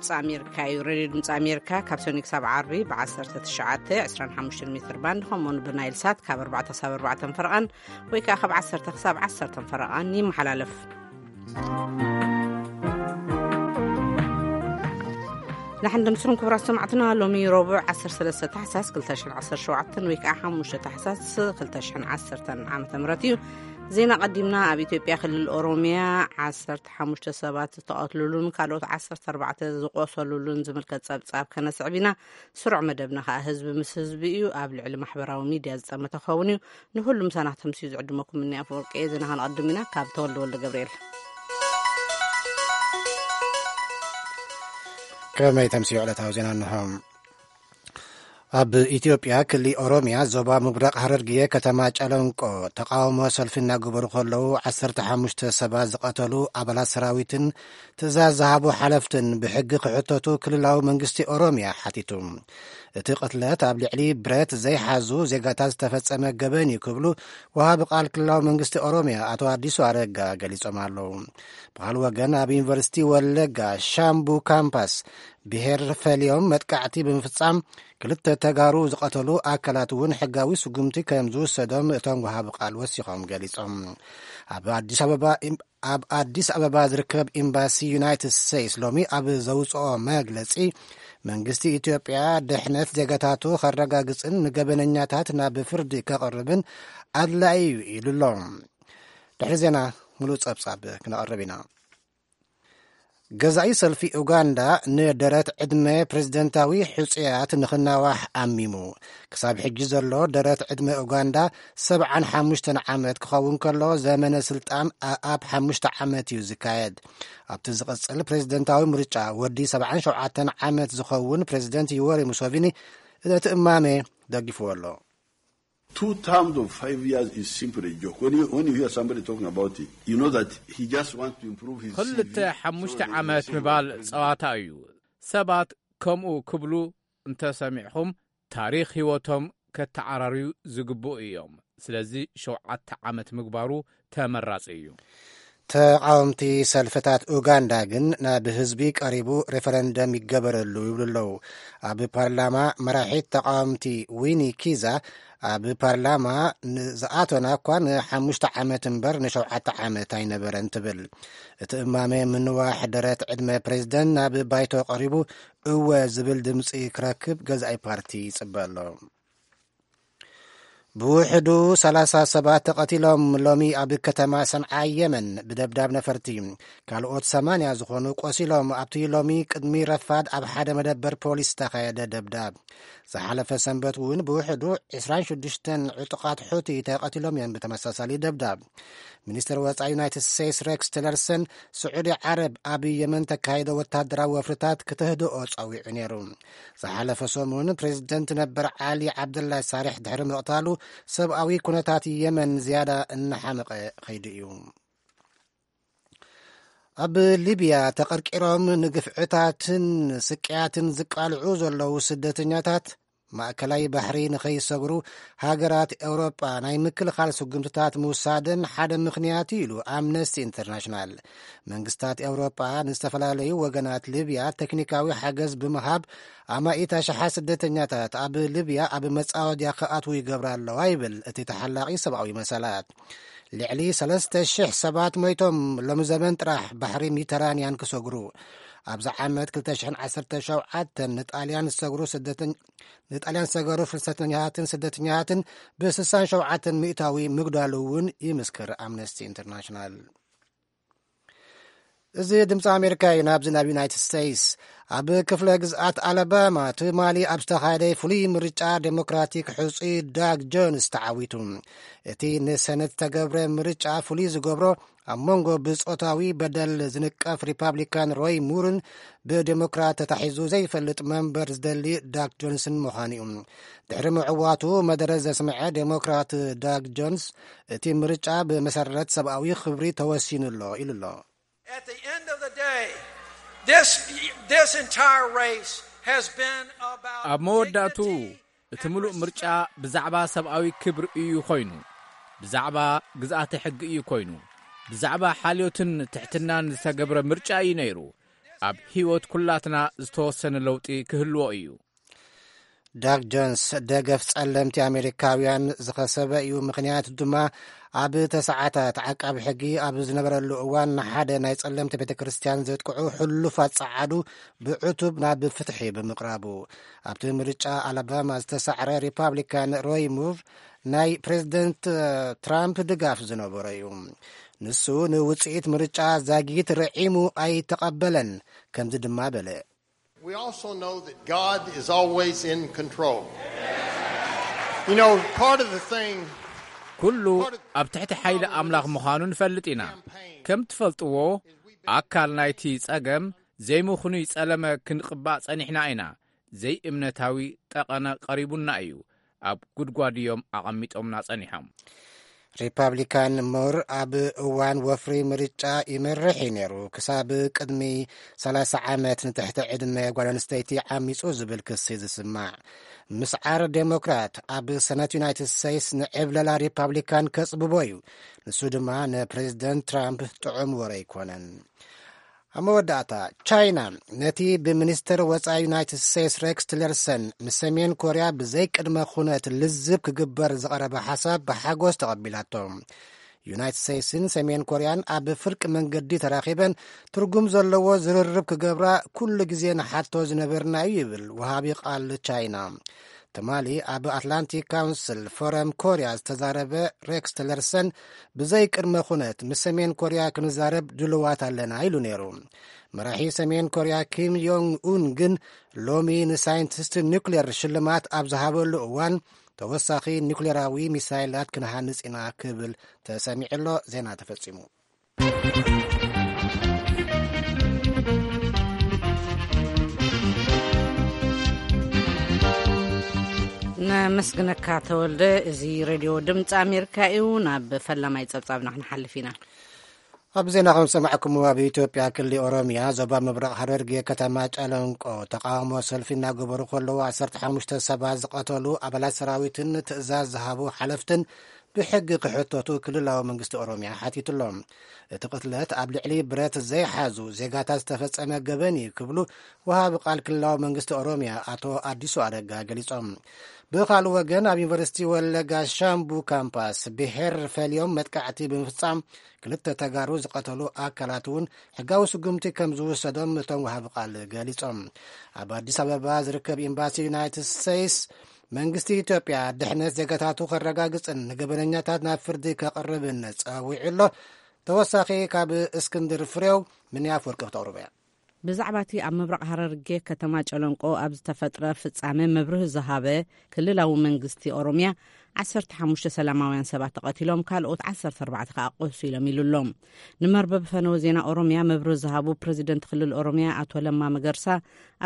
ድምፂ ኣሜሪካ እዩ። ሬድዮ ድምፂ ኣሜሪካ ካብ ሰኒ ክሳብ ዓርቢ ብ19፣ 25 ሜትር ባንድ፣ ከምኡውን ብናይል ሳት ካብ ኣርባዕተ ክሳብ ኣርባዕተ ፈረቓን፣ ወይ ከዓ ካብ ዓሰርተ ክሳብ ዓሰርተ ፈረቓን ይመሓላለፍ። ንሓን ድምስሩን ክቡራት ሰማዕትና፣ ሎሚ ረቡዕ 13 ታሕሳስ 2017 ወይ ከዓ 5 ታሕሳስ 2010 ዓመተ ምህረት እዩ። ዜና ቀዲምና። ኣብ ኢትዮጵያ ክልል ኦሮሚያ 15 ሰባት ዝተቐትሉሉን ካልኦት 14 ዝቆሰሉሉን ዝምልከት ጸብጻብ ከነስዕብ ኢና። ስሩዕ መደብና ከዓ ህዝቢ ምስ ህዝቢ እዩ። ኣብ ልዕሊ ማሕበራዊ ሚድያ ዝጸመተ ክኸውን እዩ። ንሁሉም ሳናት ተምስዩ ዝዕድመኩም እኒ ኣፈወርቂ እየ። ዜና ከነቐድም ኢና ካብ ተወልደ ወልደ ገብርኤል። ከመይ ተምስዩ ዕለታዊ ዜና እንሆ። ኣብ ኢትዮጵያ ክሊ ኦሮሚያ ዞባ ምብራቕ ሐረርጌ ከተማ ጨለንቆ ተቃውሞ ሰልፊ እናገበሩ ከለዉ 15 ሰባት ዝቐተሉ ኣባላት ሰራዊትን ትእዛዝ ዝሃቡ ሓለፍትን ብሕጊ ክሕተቱ ክልላዊ መንግስቲ ኦሮሚያ ሓቲቱ። እቲ ቅትለት ኣብ ልዕሊ ብረት ዘይሓዙ ዜጋታት ዝተፈጸመ ገበን እዩ ክብሉ ወሃቢ ቃል ክልላዊ መንግስቲ ኦሮሚያ ኣቶ ኣዲሱ ኣረጋ ገሊጾም ኣለዉ። ብኻል ወገን ኣብ ዩኒቨርሲቲ ወለጋ ሻምቡ ካምፓስ ብሄር ፈልዮም መጥቃዕቲ ብምፍጻም ክልተ ተጋሩ ዝቐተሉ ኣካላት እውን ሕጋዊ ስጉምቲ ከም ዝውሰዶም እቶም ወሃቢ ቃል ወሲኾም ገሊጾም። ኣብ ኣዲስ ኣበባ ኣብ ኣዲስ ኣበባ ዝርከብ ኤምባሲ ዩናይትድ ስቴትስ ሎሚ ኣብ ዘውፅኦ መግለፂ፣ መንግስቲ ኢትዮጵያ ድሕነት ዜጋታቱ ከረጋግፅን ንገበነኛታት ናብ ፍርዲ ከቕርብን ኣድላዪ እዩ ኢሉ ኣሎ። ድሕሪ ዜና ሙሉእ ፀብፃብ ክነቕርብ ኢና። ገዛኢ ሰልፊ ኡጋንዳ ንደረት ዕድመ ፕሬዝደንታዊ ሕፁያት ንኽናዋሕ ኣሚሙ። ክሳብ ሕጂ ዘሎ ደረት ዕድመ ኡጋንዳ 75 ዓመት ክኸውን ከሎ፣ ዘመነ ስልጣን ኣኣብ ሓሙሽተ ዓመት እዩ ዝካየድ። ኣብቲ ዝቕጽል ፕሬዝደንታዊ ምርጫ ወዲ 77 ዓመት ዝኸውን ፕሬዝደንት ዩወሪ ሙሶቪኒ ነቲ እማመ ደጊፍዎ ኣሎ። Two terms of five years is simply a joke. When you, when you hear somebody talking about it, you know that he just wants to improve his ክልተ C V. ሓሙሽተ ዓመት ምባል ጸዋታ እዩ። ሰባት ከምኡ ክብሉ እንተሰሚዕኹም፣ ታሪኽ ህይወቶም ከተዓራርዩ ዝግብኡ እዮም። ስለዚ ሸውዓተ ዓመት ምግባሩ ተመራጺ እዩ። ተቃወምቲ ሰልፍታት ኡጋንዳ ግን ናብ ህዝቢ ቀሪቡ ሬፈረንደም ይገበረሉ ይብሉ ኣለዉ። ኣብ ፓርላማ መራሒት ተቃወምቲ ዊኒ ኪዛ፣ ኣብ ፓርላማ ንዝኣተና እኳ ንሓሙሽተ ዓመት እምበር ንሸውዓተ ዓመት ኣይነበረን ትብል። እቲ እማመ ምንዋሕ ደረት ዕድመ ፕሬዝደንት ናብ ባይቶ ቀሪቡ እወ ዝብል ድምፂ ክረክብ ገዛኢ ፓርቲ ይፅበ ኣሎ። ብውሕዱ 30 ሰባት ተቐቲሎም ሎሚ ኣብ ከተማ ሰንዓ የመን ብደብዳብ ነፈርቲ። ካልኦት 80 ዝኾኑ ቆሲሎም ኣብቲ ሎሚ ቅድሚ ረፋድ ኣብ ሓደ መደበር ፖሊስ ዝተኻየደ ደብዳብ። ዝሓለፈ ሰንበት እውን ብውሕዱ 26 ዕጡቓት ሑቲ ተቐቲሎም እዮም ብተመሳሳሊ ደብዳብ። ሚኒስትር ወፃኢ ዩናይትድ ስቴትስ ሬክስ ቲለርሰን ስዑዲ ዓረብ ኣብ የመን ተካይዶ ወታደራዊ ወፍርታት ክትህድኦ ጸዊዑ ነይሩ። ዝሓለፈ ሰሙን ፕሬዝደንት ነበር ዓሊ ዓብደላ ሳልሕ ድሕሪ ምቕታሉ ሰብኣዊ ኩነታት የመን ዝያዳ እናሓመቐ ከይዱ እዩ። ኣብ ሊብያ ተቐርቂሮም ንግፍዕታትን ስቅያትን ዝቃልዑ ዘለዉ ስደተኛታት ማእከላይ ባሕሪ ንኸይሰግሩ ሃገራት ኤውሮጳ ናይ ምክልኻል ስጉምትታት ምውሳደን ሓደ ምኽንያት እዩ ኢሉ ኣምነስቲ ኢንተርናሽናል። መንግስታት ኤውሮጳ ንዝተፈላለዩ ወገናት ሊብያ ቴክኒካዊ ሓገዝ ብምሃብ ኣማኢት ኣሽሓት ስደተኛታት ኣብ ሊብያ ኣብ መጻወድያ ክኣትዉ ይገብራ ኣለዋ ይብል እቲ ተሓላቒ ሰብኣዊ መሰላት። ልዕሊ 3,000 ሰባት ሞይቶም ሎሚ ዘመን ጥራሕ ባሕሪ ሜዲተራንያን ክሰግሩ። ኣብዚ ዓመት 2017 ንጣልያን ዝሰግሩ ስደተኛ-፣ ንጣልያን ዝሰገሩ ፍልሰተኛታትን ስደተኛታትን ብ67 ሚእታዊ ምግዳሉ እውን ይምስክር ኣምነስቲ ኢንተርናሽናል። እዚ ድምፂ ኣሜሪካ እዩ። ናብዚ ናብ ዩናይትድ ስቴትስ፣ ኣብ ክፍለ ግዝኣት ኣላባማ ትማሊ ኣብ ዝተኻየደ ፍሉይ ምርጫ ዴሞክራቲክ ሕፁይ ዳግ ጆንስ ተዓዊቱ። እቲ ንሰነት ዝተገብረ ምርጫ ፍሉይ ዝገብሮ ኣብ መንጎ ብጾታዊ በደል ዝንቀፍ ሪፓብሊካን ሮይ ሙርን ብዴሞክራት ተታሒዙ ዘይፈልጥ መንበር ዝደሊ ዳግ ጆንስን ምዃኑ እዩ። ድሕሪ ምዕዋቱ መደረ ዘስምዐ ዴሞክራት ዳግ ጆንስ፣ እቲ ምርጫ ብመሰረት ሰብኣዊ ክብሪ ተወሲኑ ኣሎ ኢሉ ኣሎ። At the end of the day, this, this entire race has been about ኣብ መወዳእቱ dignity እቲ and ምሉእ ምርጫ respect. ብዛዕባ ሰብኣዊ ክብሪ እዩ ኮይኑ፣ ብዛዕባ ግዝኣተ ሕጊ እዩ ኮይኑ፣ ብዛዕባ ሓልዮትን ትሕትናን ዝተገብረ ምርጫ እዩ ነይሩ። ኣብ ህይወት ኩላትና ዝተወሰነ ለውጢ ክህልዎ እዩ። ዳግ ጆንስ ደገፍ ጸለምቲ ኣሜሪካውያን ዝኸሰበ እዩ። ምኽንያቱ ድማ ኣብ ተሰዓታት ዓቃቢ ሕጊ ኣብ ዝነበረሉ እዋን ንሓደ ናይ ጸለምቲ ቤተ ክርስቲያን ዘጥቅዑ ሕሉፋት ጸዓዱ ብዕቱብ ናብ ፍትሒ ብምቕራቡ። ኣብቲ ምርጫ ኣላባማ ዝተሳዕረ ሪፓብሊካን ሮይ ሙር ናይ ፕሬዚደንት ትራምፕ ድጋፍ ዝነበሮ እዩ። ንሱ ንውጽኢት ምርጫ ዛጊት ርዒሙ ኣይተቐበለን። ከምዚ ድማ በለ። We also know that God is always in control. You know, part of the thing ኩሉ ኣብ ትሕቲ ሓይሊ ኣምላኽ ምዃኑ ንፈልጥ ኢና። ከም ትፈልጥዎ፣ ኣካል ናይቲ ጸገም ዘይምኽኑይ ጸለመ ክንቕባእ ጸኒሕና ኢና። ዘይእምነታዊ ጠቐነ ቀሪቡና እዩ። ኣብ ጉድጓድ እዮም ኣቐሚጦምና ጸኒሖም። ሪፓብሊካን ሙር ኣብ እዋን ወፍሪ ምርጫ ይመርሕ እዩ ነይሩ። ክሳብ ቅድሚ ሰላሳ ዓመት ንትሕቲ ዕድመ ጓል ኣንስተይቲ ዓሚጹ ዝብል ክሲ ዝስማዕ ምስዓር ዴሞክራት ኣብ ሰነት ዩናይትድ ስቴትስ ንዕብለላ ሪፓብሊካን ከጽብቦ እዩ። ንሱ ድማ ንፕሬዚደንት ትራምፕ ጥዑም ወረ ኣይኮነን። ኣብ መወዳእታ፣ ቻይና ነቲ ብሚኒስትር ወጻኢ ዩናይትድ ስቴትስ ሬክስ ቲለርሰን ምስ ሰሜን ኮርያ ብዘይ ቅድመ ኩነት ልዝብ ክግበር ዝቐረበ ሓሳብ ብሓጎስ ተቐቢላቶ። ዩናይትድ ስቴትስን ሰሜን ኮርያን ኣብ ፍርቂ መንገዲ ተራኺበን ትርጉም ዘለዎ ዝርርብ ክገብራ ኩሉ ግዜ ንሓቶ ዝነበርና እዩ ይብል ወሃቢ ቃል ቻይና። ትማሊ ኣብ ኣትላንቲክ ካውንስል ፎረም ኮርያ ዝተዛረበ ሬክስ ቲለርሰን፣ ብዘይ ቅድመ ኩነት ምስ ሰሜን ኮርያ ክንዛረብ ድልዋት ኣለና ኢሉ ነይሩ። መራሒ ሰሜን ኮርያ ኪም ዮንግ ኡን ግን ሎሚ ንሳይንቲስት ኒውክሌር ሽልማት ኣብ ዝሃበሉ እዋን፣ ተወሳኺ ኒውክሌራዊ ሚሳይላት ክንሃንጽ ኢና ክብል ተሰሚዑ ኣሎ። ዜና ተፈጺሙ። ነመስግነካ ተወልደ። እዚ ሬድዮ ድምፂ ኣሜሪካ እዩ። ናብ ፈላማይ ጸብጻብና ክንሓልፍ ኢና። ኣብ ዜና ከም ዝሰማዕኩምዎ፣ ኣብ ኢትዮጵያ ክልል ኦሮሚያ ዞባ ምብራቕ ሃረርጌ ከተማ ጨለንቆ ተቃውሞ ሰልፊ እናገበሩ ከለዉ ዓሰርተ ሓሙሽተ ሰባት ዝቐተሉ ኣባላት ሰራዊትን ትእዛዝ ዝሃቡ ሓለፍትን ብሕጊ ክሕተቱ ክልላዊ መንግስቲ ኦሮሚያ ሓቲቱ ኣሎ። እቲ ቅትለት ኣብ ልዕሊ ብረት ዘይሓዙ ዜጋታት ዝተፈጸመ ገበን እዩ ክብሉ ወሃቢ ቃል ክልላዊ መንግስቲ ኦሮሚያ ኣቶ ኣዲሱ ኣረጋ ገሊጾም። ብኻልእ ወገን፣ ኣብ ዩኒቨርሲቲ ወለጋ ሻምቡ ካምፓስ ብሄር ፈልዮም መጥቃዕቲ ብምፍጻም ክልተ ተጋሩ ዝቐተሉ ኣካላት እውን ሕጋዊ ስጉምቲ ከም ዝውሰዶም እቶም ወሃቢ ቃል ገሊጾም። ኣብ ኣዲስ ኣበባ ዝርከብ ኤምባሲ ዩናይትድ ስቴትስ፣ መንግስቲ ኢትዮጵያ ድሕነት ዜጋታቱ ከረጋግጽን ንገበነኛታት ናብ ፍርዲ ከቕርብን ጸዊዑ ኣሎ። ተወሳኺ ካብ እስክንድር ፍሬው፣ ምንያ ኣፈወርቂ ክተቕርቦ እያ። ብዛዕባ እቲ ኣብ ምብራቕ ሃረርጌ ከተማ ጨለንቆ ኣብ ዝተፈጥረ ፍጻመ መብርሂ ዝሃበ ክልላዊ መንግስቲ ኦሮሚያ፣ ዓሰርተ ሓሙሽተ ሰላማውያን ሰባት ተቐቲሎም፣ ካልኦት ዓሰርተ ኣርባዕተ ከኣ ቆሲሎም ኢሉ ኣሎ። ንመርበብ ፈነወ ዜና ኦሮሚያ መብርሂ ዝሃቡ ፕረዚደንት ክልል ኦሮሚያ ኣቶ ለማ መገርሳ፣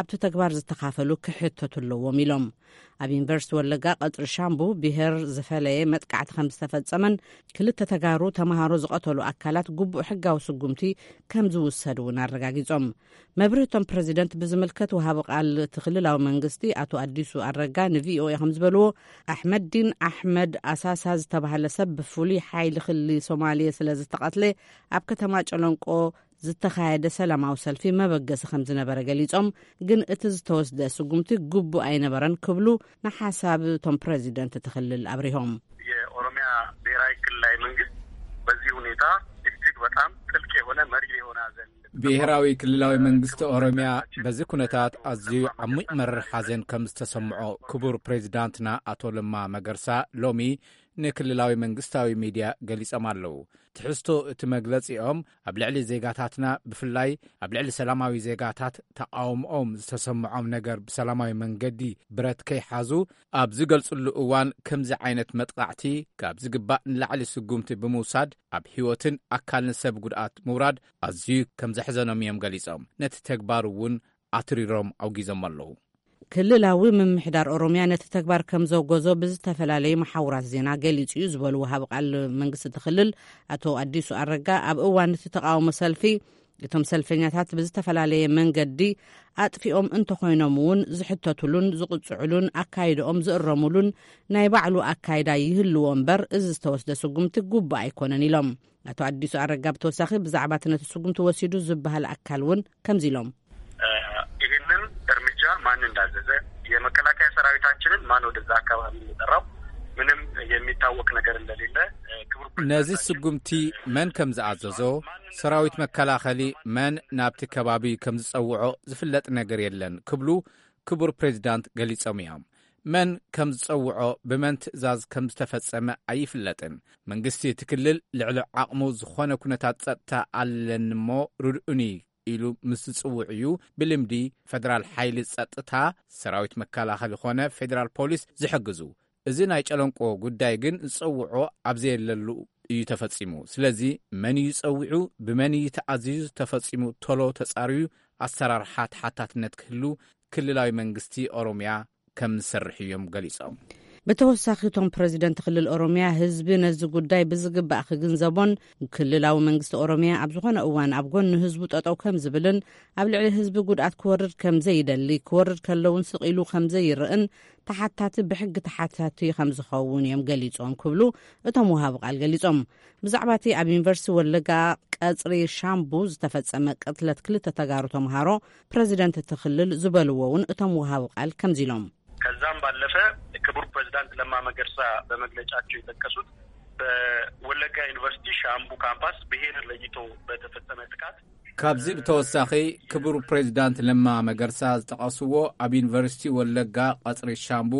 ኣብቲ ተግባር ዝተኻፈሉ ክሕተቱ ኣለዎም ኢሎም። ኣብ ዩኒቨርሲቲ ወለጋ ቀጽሪ ሻምቡ ብሄር ዝፈለየ መጥቃዕቲ ከም ዝተፈጸመን ክልተ ተጋሩ ተምሃሮ ዝቐተሉ ኣካላት ግቡእ ሕጋዊ ስጉምቲ ከም ዝውሰድ እውን ኣረጋጊጾም። መብርህቶም ፕረዚደንት ብዝምልከት ወሃቢ ቃል እቲ ክልላዊ መንግስቲ ኣቶ ኣዲሱ ኣረጋ ንቪኦኤ ከም ዝበልዎ፣ ኣሕመዲን ኣሕመድ ኣሳሳ ዝተባህለ ሰብ ብፍሉይ ሓይሊ ክልል ሶማሌ ስለ ዝተቐትለ ኣብ ከተማ ጨለንቆ ዝተኻየደ ሰላማዊ ሰልፊ መበገሲ ከም ዝነበረ ገሊጾም፣ ግን እቲ ዝተወስደ ስጉምቲ ግቡእ ኣይነበረን ክብሉ ንሓሳብ እቶም ፕረዚደንት እቲ ክልል ኣብሪሆም። የኦሮሚያ ብሔራዊ ክልላዊ መንግስት በዚህ ሁኔታ እጅግ በጣም ጥልቅ የሆነ መሪር የሆነ ሐዘን ብሔራዊ ክልላዊ መንግስቲ ኦሮሚያ በዚ ኩነታት ኣዝዩ ዓሚቕ መሪር ሓዘን ከም ዝተሰምዖ ክቡር ፕሬዚዳንትና ኣቶ ለማ መገርሳ ሎሚ ንክልላዊ መንግስታዊ ሚድያ ገሊጾም ኣለዉ። ትሕዝቶ እቲ መግለጺኦም፣ ኣብ ልዕሊ ዜጋታትና፣ ብፍላይ ኣብ ልዕሊ ሰላማዊ ዜጋታት፣ ተቓውሞኦም ዝተሰምዖም ነገር ብሰላማዊ መንገዲ ብረት ከይሓዙ፣ ኣብ ዝገልጽሉ እዋን፣ ከምዚ ዓይነት መጥቓዕቲ ካብ ዝግባእ ንላዕሊ ስጉምቲ ብምውሳድ፣ ኣብ ህይወትን ኣካልን ሰብ ጉድኣት ምውራድ ኣዝዩ ከም ዘሕዘኖም እዮም ገሊጾም። ነቲ ተግባር እውን ኣትሪሮም ኣውጊዞም ኣለዉ። ክልላዊ ምምሕዳር ኦሮሚያ ነቲ ተግባር ከም ዘውገዞ ብዝተፈላለዩ መሓውራት ዜና ገሊጹ እዩ ዝበሉ ወሃቢ ቃል መንግስቲ እቲ ክልል ኣቶ ኣዲሱ ኣረጋ፣ ኣብ እዋን እቲ ተቃውሞ ሰልፊ እቶም ሰልፈኛታት ብዝተፈላለየ መንገዲ ኣጥፊኦም እንተኾይኖም እውን ዝሕተቱሉን ዝቕጽዑሉን፣ ኣካይድኦም ዝእረሙሉን ናይ ባዕሉ ኣካይዳ ይህልዎ እምበር፣ እዚ ዝተወስደ ስጉምቲ ግቡእ ኣይኮነን ኢሎም። ኣቶ ኣዲሱ ኣረጋ ብተወሳኺ ብዛዕባ እቲ ነቲ ስጉምቲ ወሲዱ ዝበሃል ኣካል እውን ከምዚ ኢሎም። የመከላከያ ሰራዊታችንን ማን ወደዛ አካባቢ እንደጠራው ምንም የሚታወቅ ነገር እንደሌለ ክቡር ነዚ ፕሬዚዳንታችን ስጉምቲ መን ከም ዝኣዘዞ፣ ሰራዊት መከላኸሊ መን ናብቲ ከባቢ ከም ዝጸውዖ ዝፍለጥ ነገር የለን ክብሉ ክቡር ፕሬዚዳንት ገሊጾም እዮም። መን ከም ዝጸውዖ፣ ብመን ትእዛዝ ከም ዝተፈጸመ ኣይፍለጥን። መንግስቲ እቲ ክልል ልዕሊ ዓቕሙ ዝኾነ ኩነታት ጸጥታ ኣለኒ እሞ ርድኡኒ ኢሉ ምስ ዝጽውዕ እዩ። ብልምዲ ፈደራል ሓይሊ ጸጥታ፣ ሰራዊት መከላኸሊ ኾነ ፌደራል ፖሊስ ዝሕግዙ። እዚ ናይ ጨለንቆ ጉዳይ ግን ዝጸውዖ ኣብ ዘየለሉ እዩ ተፈጺሙ። ስለዚ መን እዩ ጸዊዑ፣ ብመን እዩ ተኣዚዙ ተፈጺሙ፣ ቶሎ ተጻርዩ ኣሰራርሓ ተሓታትነት ክህሉ ክልላዊ መንግስቲ ኦሮሚያ ከም ዝሰርሕ እዮም ገሊጾም። ብተወሳኺ እቶም ፕሬዚደንት ክልል ኦሮሚያ ህዝቢ ነዚ ጉዳይ ብዝግባእ ክግንዘቦን ክልላዊ መንግስቲ ኦሮሚያ ኣብ ዝኾነ እዋን ኣብ ጎኒ ህዝቡ ጠጠው ከም ዝብልን ኣብ ልዕሊ ህዝቢ ጉድኣት ክወርድ ከም ዘይደሊ፣ ክወርድ ከለውን ስቕ ኢሉ ከም ዘይርእን ተሓታቲ ብሕጊ ተሓታቲ ከም ዝኸውን እዮም ገሊጾም ክብሉ እቶም ወሃቢ ቃል ገሊጾም። ብዛዕባ እቲ ኣብ ዩኒቨርሲቲ ወለጋ ቀጽሪ ሻምቡ ዝተፈጸመ ቅትለት ክልተ ተጋሩ ተምሃሮ ፕሬዚደንት እቲ ክልል ዝበልዎ እውን እቶም ወሃቢ ቃል ከምዚ ኢሎም። ከዛም ባለፈ ክቡር ፕሬዚዳንት ለማ መገርሳ በመግለጫቸው የጠቀሱት በወለጋ ዩኒቨርሲቲ ሻምቡ ካምፓስ ብሔር ለይቶ በተፈጸመ ጥቃት ካብዚ ብተወሳኺ ክቡር ፕሬዚዳንት ለማ መገርሳ ዝጠቐስዎ ኣብ ዩኒቨርሲቲ ወለጋ ቀጽሪ ሻምቡ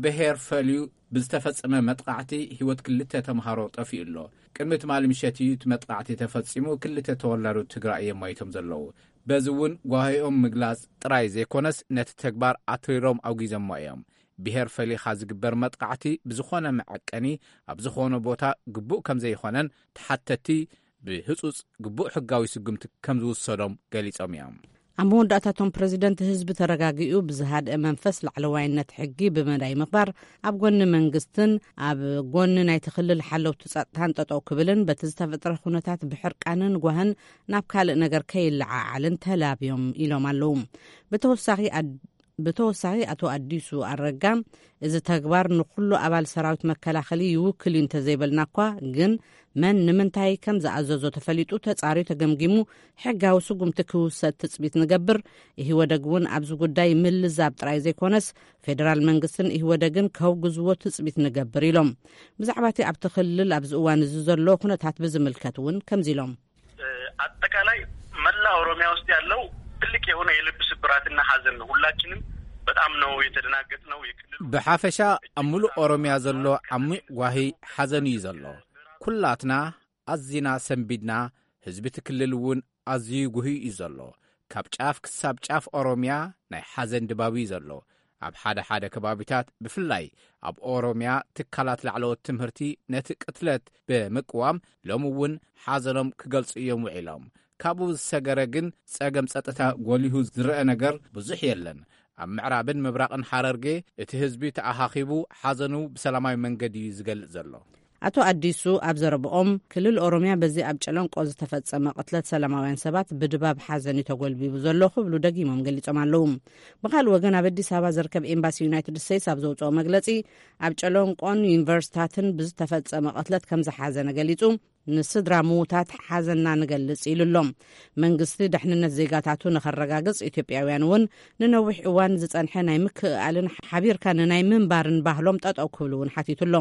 ብሔር ፈልዩ ብዝተፈጸመ መጥቃዕቲ ህይወት ክልተ ተምሃሮ ጠፊኡ ኣሎ። ቅድሚ ትማሊ ምሸት እዩ እቲ መጥቃዕቲ ተፈጺሙ፣ ክልተ ተወላዶ ትግራይ እዮም ሞይቶም ዘለዉ። በዚ እውን ጓሂኦም ምግላጽ ጥራይ ዘይኮነስ ነቲ ተግባር ኣትሪሮም ኣውጊዞሞ እዮም። ብሔር ፈሊኻ ዝግበር መጥቃዕቲ ብዝኾነ መዐቀኒ ኣብ ዝኾነ ቦታ ግቡእ ከም ዘይኾነን ተሓተቲ ብህጹጽ ግቡእ ሕጋዊ ስጉምቲ ከም ዝውሰዶም ገሊጾም እዮም። ኣብ መወዳእታቶም ፕሬዚደንት ህዝቢ ተረጋጊኡ ብዝሃድአ መንፈስ ላዕለዋይነት ሕጊ ብመዳይ ምኽባር ኣብ ጎኒ መንግስትን ኣብ ጎኒ ናይቲ ክልል ሓለውቲ ጸጥታን ጠጠው ክብልን በቲ ዝተፈጥረ ኩነታት ብሕርቃንን ጓህን ናብ ካልእ ነገር ከይለዓዓልን ተላብዮም ኢሎም ኣለዉ። ብተወሳኺ ኣድ- ብተወሳኺ ኣቶ ኣዲሱ ኣረጋ እዚ ተግባር ንኩሉ ኣባል ሰራዊት መከላኸሊ ይውክል እዩ እንተዘይበልና እኳ ግን መን ንምንታይ ከም ዝኣዘዞ ተፈሊጡ ተጻርዩ ተገምጊሙ ሕጋዊ ስጉምቲ ክውሰድ ትጽቢት ንገብር። ኢህወደግ እውን ኣብዚ ጉዳይ ምልዛብ ጥራይ ዘይኮነስ ፌደራል መንግስትን ኢህወደግን ከውግዝዎ ትጽቢት ንገብር ኢሎም። ብዛዕባ እቲ ኣብቲ ክልል ኣብዚ እዋን እዚ ዘሎ ኩነታት ብዝምልከት እውን ከምዚ ኢሎም። አጠቃላይ መላ ኦሮሚያ ውስጥ ያለው ትልቅ የሆነ የልብ ስብራትና ሐዘን ነው። ሁላችንም በጣም ነው የተደናገጥነው። የክልሉ ብሓፈሻ ኣብ ሙሉእ ኦሮሚያ ዘሎ ዓሚቕ ጓሂ ሓዘን እዩ ዘሎ። ኩላትና ኣዚና ሰንቢድና፣ ህዝቢ እቲ ክልል እውን ኣዝዩ ጉህዩ እዩ ዘሎ። ካብ ጫፍ ክሳብ ጫፍ ኦሮሚያ ናይ ሓዘን ድባብ እዩ ዘሎ። ኣብ ሓደ ሓደ ከባቢታት ብፍላይ ኣብ ኦሮሚያ ትካላት ላዕለዎት ትምህርቲ ነቲ ቅትለት ብምቅዋም ሎሚ እውን ሓዘኖም ክገልጹ እዮም ውዒሎም። ካብኡ ዝሰገረ ግን ጸገም ጸጥታ ጎሊሁ ዝረአ ነገር ብዙሕ የለን። ኣብ ምዕራብን ምብራቕን ሓረርጌ እቲ ህዝቢ ተኣኻኺቡ ሓዘኑ ብሰላማዊ መንገዲ እዩ ዝገልጽ ዘሎ። ኣቶ ኣዲሱ ኣብ ዘረብኦም ክልል ኦሮሚያ በዚ ኣብ ጨለንቆ ዝተፈጸመ ቅትለት ሰላማውያን ሰባት ብድባብ ሓዘን እዩ ተጎልቢቡ ዘሎ ክብሉ ደጊሞም ገሊጾም ኣለዉ። ብኻልእ ወገን ኣብ ኣዲስ ኣበባ ዝርከብ ኤምባሲ ዩናይትድ ስቴትስ ኣብ ዘውፅኦ መግለጺ ኣብ ጨለንቆን ዩኒቨርሲታትን ብዝተፈጸመ ቅትለት ከም ዝሓዘነ ገሊጹ ንስድራ ምዉታት ሓዘንና ንገልጽ ኢሉ ኣሎ። መንግስቲ ደሕንነት ዜጋታቱ ንኸረጋግጽ ኢትዮጵያውያን እውን ንነዊሕ እዋን ዝጸንሐ ናይ ምክእኣልን ሓቢርካ ንናይ ምንባርን ባህሎም ጠጠው ክብሉ እውን ሓቲቱ ኣሎ።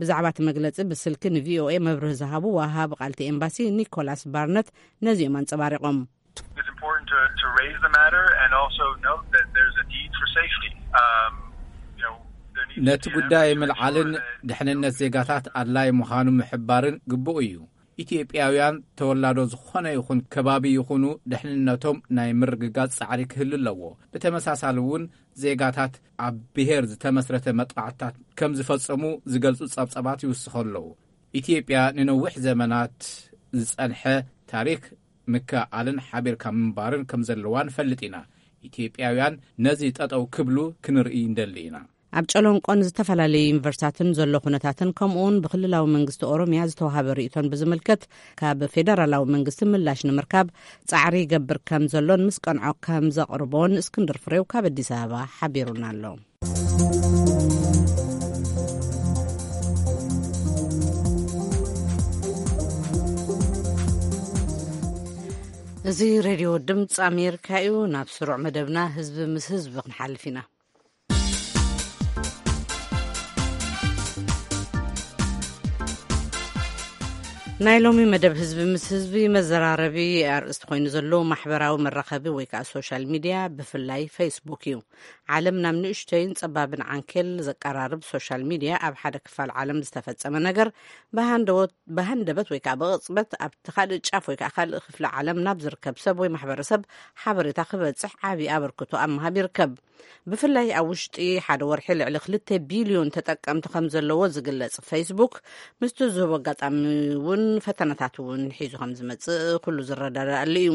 ብዛዕባ እቲ መግለጺ ብስልኪ ንቪኦኤ መብርሂ ዝሃቡ ወሃቢ ቃልቲ ኤምባሲ ኒኮላስ ባርነት ነዚኦም ኣንጸባሪቖም። It's important to, to raise the matter and also note that there's a need for safety. Um, you know, there needs to ነቲ be an ጉዳይ effort to ምልዓልን ensure that ድሕንነት ዜጋታት ኣድላይ ምዃኑ ምሕባርን ግቡእ እዩ። ኢትዮጵያውያን ተወላዶ ዝኾነ ይኹን ከባቢ ይኹኑ ድሕንነቶም ናይ ምርግጋጽ ጻዕሪ ክህሉ ኣለዎ። ብተመሳሳሊ እውን ዜጋታት ኣብ ብሔር ዝተመስረተ መጥቃዕትታት ከም ዝፈጸሙ ዝገልጹ ጸብጻባት ይውስኹ ኣለዉ። ኢትዮጵያ ንነዊሕ ዘመናት ዝጸንሐ ታሪክ ምክእኣልን ሓቢርካ ምንባርን ከም ዘለዋ ንፈልጥ ኢና። ኢትዮጵያውያን ነዚ ጠጠው ክብሉ ክንርኢ እንደሊ ኢና። ኣብ ጨለንቆን ዝተፈላለዩ ዩኒቨርሲታትን ዘሎ ኩነታትን ከምኡውን ብክልላዊ መንግስቲ ኦሮሚያ ዝተዋሃበ ርእይቶን ብዝምልከት ካብ ፌደራላዊ መንግስቲ ምላሽ ንምርካብ ጻዕሪ ይገብር ከም ዘሎን ምስ ቀንዖ ከም ዘቕርቦን እስክንድር ፍሬው ካብ ኣዲስ ኣበባ ሓቢሩና ኣሎ። እዚ ሬድዮ ድምፂ ኣሜሪካ እዩ። ናብ ስሩዕ መደብና ህዝቢ ምስ ህዝቢ ክንሓልፍ ኢና። ናይ ሎሚ መደብ ህዝቢ ምስ ህዝቢ መዘራረቢ ኣርእስቲ ኮይኑ ዘሎ ማሕበራዊ መራኸቢ ወይ ከዓ ሶሻል ሚድያ፣ ብፍላይ ፌስቡክ እዩ። ዓለም ናብ ንእሽተይን ጸባብን ዓንኬል ዘቀራርብ ሶሻል ሚድያ፣ ኣብ ሓደ ክፋል ዓለም ዝተፈጸመ ነገር ብሃንደወት-፣ ብሃንደበት ወይ ከዓ ብቕጽበት ኣብቲ ካልእ ጫፍ ወይ ከዓ ካልእ ክፍሊ ዓለም ናብ ዝርከብ ሰብ ወይ ማሕበረሰብ ሓበሬታ ክበጽሕ ዓቢ ኣበርክቶ ኣብ ምሃብ ይርከብ። ብፍላይ ኣብ ውሽጢ ሓደ ወርሒ ልዕሊ ክልተ ቢልዮን ተጠቀምቲ ከም ዘለዎ ዝግለጽ ፌስቡክ፣ ምስቲ ዝህቦ ኣጋጣሚ እውን ፈተነታት እውን ሒዙ ከም ዝመጽእ ኩሉ ዝረዳዳኣሉ እዩ።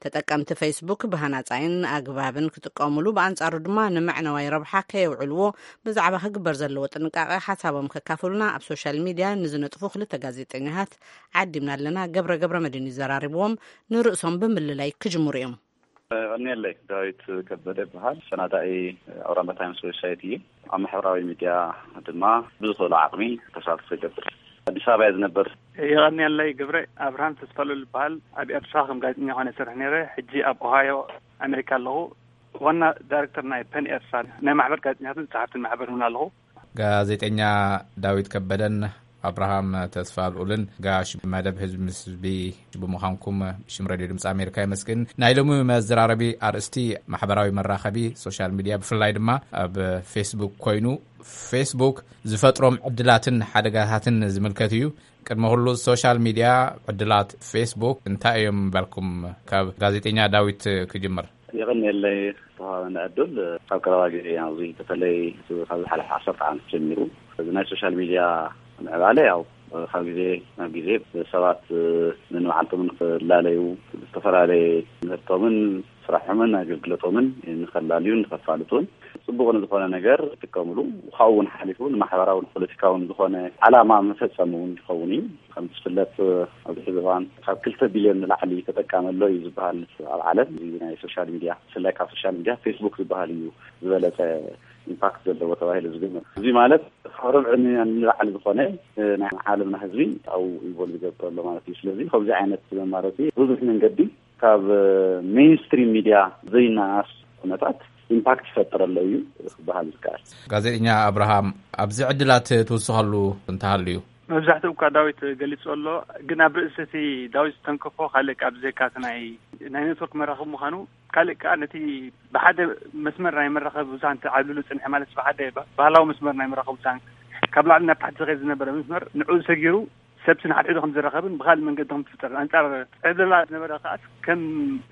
ተጠቀምቲ ፌስቡክ ብሃናጻይን ኣግባብን ክጥቀሙሉ፣ ብኣንጻሩ ድማ ንመዕነዋይ ረብሓ ከየውዕልዎ ብዛዕባ ክግበር ዘለዎ ጥንቃቐ ሓሳቦም ከካፍሉና ኣብ ሶሻል ሚድያ ንዝነጥፉ ክልተ ጋዜጠኛታት ዓዲምና ኣለና። ገብረ ገብረ መድህን ይዘራርብዎም። ንርእሶም ብምልላይ ክጅምሩ እዮም። የቐንየለይ። ዳዊት ከበደ ይበሃል። ሰናዳኢ ኣውራምባ ታይምስ ዌብሳይት እየ። ኣብ ማሕበራዊ ሚድያ ድማ ብዝኽእሎ ዓቕሚ ተሳትፎ ይገብር። ኣዲስ ኣበባ እየ ዝነብር። የቐንየለይ። ግብረ ኣብርሃም ተስፋሉል ይበሃል። ኣብ ኤርትራ ከም ጋዜጠኛ ኾነ ይሰርሕ ነይረ። ሕጂ ኣብ ኦሃዮ ኣሜሪካ ኣለኹ። ዋና ዳይሬክተር ናይ ፐን ኤርትራ፣ ናይ ማሕበር ጋዜጠኛትን ጸሓፍትን ማሕበር እውን ኣለኹ። ጋዜጠኛ ዳዊት ከበደን ኣብርሃም ተስፋ ልኡልን፣ ጋሽ መደብ ህዝቢ ምስ ህዝቢ ብምዃንኩም ብሽም ሬድዮ ድምፂ ኣሜሪካ የመስግን። ናይ ሎሚ መዘራረቢ ኣርእስቲ ማሕበራዊ መራኸቢ ሶሻል ሚድያ፣ ብፍላይ ድማ ኣብ ፌስቡክ ኮይኑ፣ ፌስቡክ ዝፈጥሮም ዕድላትን ሓደጋታትን ዝምልከት እዩ። ቅድሚ ኩሉ ሶሻል ሚድያ፣ ዕድላት ፌስቡክ እንታይ እዮም በልኩም? ካብ ጋዜጠኛ ዳዊት ክጅምር። የቐንየለይ ዝተዋህበኒ ዕድል። ካብ ቀረባ ግዜ ኣብዚ፣ በተለይ ካብ ዝሓለፈ ዓሰርተ ዓመት ጀሚሩ፣ እዚ ናይ ሶሻል ሚድያ ምዕባለ፣ ያው ካብ ግዜ ናብ ግዜ ሰባት ንንባዕልቶም ንክላለዩ፣ ዝተፈላለየ ምህርቶምን ስራሖምን ኣገልግሎቶምን ንኸላልዩን ንኸፋልጡን ጽቡቕ ንዝኾነ ነገር ይጥቀምሉ። ካብኡ እውን ሓሊፉ ንማሕበራውን ፖለቲካውን ዝኾነ ዓላማ መፈጸሚ እውን ይኸውን እዩ። ከም ዝፍለጥ፣ ኣብዚ ሕዚ እዋን ካብ ክልተ ቢልዮን ንላዕሊ ተጠቃሚ ኣሎ እዩ ዝበሃል ኣብ ዓለም። እዚ ናይ ሶሻል ሚድያ፣ ብፍላይ ካብ ሶሻል ሚድያ ፌስቡክ ዝበሃል እዩ ዝበለጸ ኢምፓክት ዘለዎ ተባሂሉ ዝግመት። እዚ ማለት ካብ ርብዒ ሚልዮን ንላዕሊ ዝኾነ ናይ ዓለምና ህዝቢ ኣብኡ ኢንቮልቭ ይገብር ኣሎ ማለት እዩ። ስለዚ ከምዚ ዓይነት መማረፂ ብዙሕ መንገዲ ካብ ሜይንስትሪም ሚድያ ዘይነኣስ ኩነታት ኢምፓክት ይፈጥር ኣሎ እዩ ክበሃል ዝከኣል። ጋዜጠኛ ኣብርሃም፣ ኣብዚ ዕድላት ትውስኸሉ እንተሃልዩ? መብዛሕትኡ እኳ ዳዊት ገሊጹ ኣሎ፣ ግን ኣብ ርእሲ እቲ ዳዊት ዝተንከፎ ካልእ ካብ ብዘይካ እቲ ናይ፣ ናይ ኔትወርክ መራኸቢ ምዃኑ፣ ካልእ ከኣ ነቲ ብሓደ መስመር ናይ መራኸቢ ብዙሃን ተዓብልሉ ጽንሐ፣ ማለት ብሓደ ባህላዊ መስመር ናይ መራኸቢ ብዙሃን ካብ ላዕሊ ናብ ታሕቲ ዝኸይድ ዝነበረ መስመር ንዕኡ ሰጊሩ ሰብቲ ንሓድሕዱ ከም ዝራኸብን ብኻልእ መንገዲ ከም ዝፍጠር ኣንጻር ዕብለላ ዝነበረ ከኣ ከም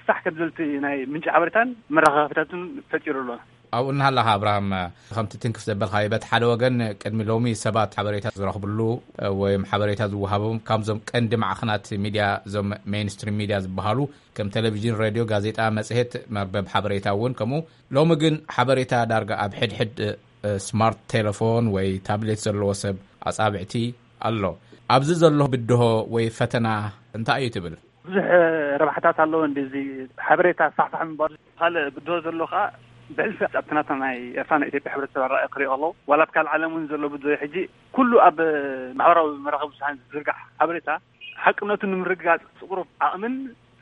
ሳሕ ከም ዘልቲ ናይ ምንጪ ሓበሬታን መራኸብታትን ፈጢሩ ኣሎ። ኣብኡ እናሃለኻ ኣብርሃም፣ ከምቲ ትንክፍ ዘበልካዮ፣ በቲ ሓደ ወገን ቅድሚ ሎሚ ሰባት ሓበሬታ ዝረኽብሉ ወይም ሓበሬታ ዝወሃቦም ካብዞም ቀንዲ ማዕኸናት ሚድያ፣ እዞም ሜይንስትሪም ሚድያ ዝበሃሉ ከም ቴሌቪዥን፣ ሬድዮ፣ ጋዜጣ፣ መጽሔት፣ መርበብ ሓበሬታ እውን ከምኡ። ሎሚ ግን ሓበሬታ ዳርጋ ኣብ ሕድሕድ ስማርት ቴሌፎን ወይ ታብሌት ዘለዎ ሰብ ኣጻብዕቲ ኣሎ። ኣብዚ ዘሎ ብድሆ ወይ ፈተና እንታይ እዩ ትብል? ብዙሕ ረብሓታት ኣለዎ እንዲ እዚ ሓበሬታ ፋሕፋሕ ምባል። ካልእ ብድሆ ዘሎ ከዓ ብሕልፊ ኣብቲ ናትና ናይ ኤርትራ ናይ ኢትዮጵያ ሕብረተሰብ ኣረኣእያ ክሪኦ ኣለዎ። ዋላ ኣብ ካልእ ዓለም እውን ዘሎ ብድሆ እዩ። ሕጂ ኩሉ ኣብ ማሕበራዊ መራኸቢ ብዙሃን ዝዝርጋሕ ሓበሬታ ሓቅነቱ ንምርግጋጽ ቁሩብ ዓቕምን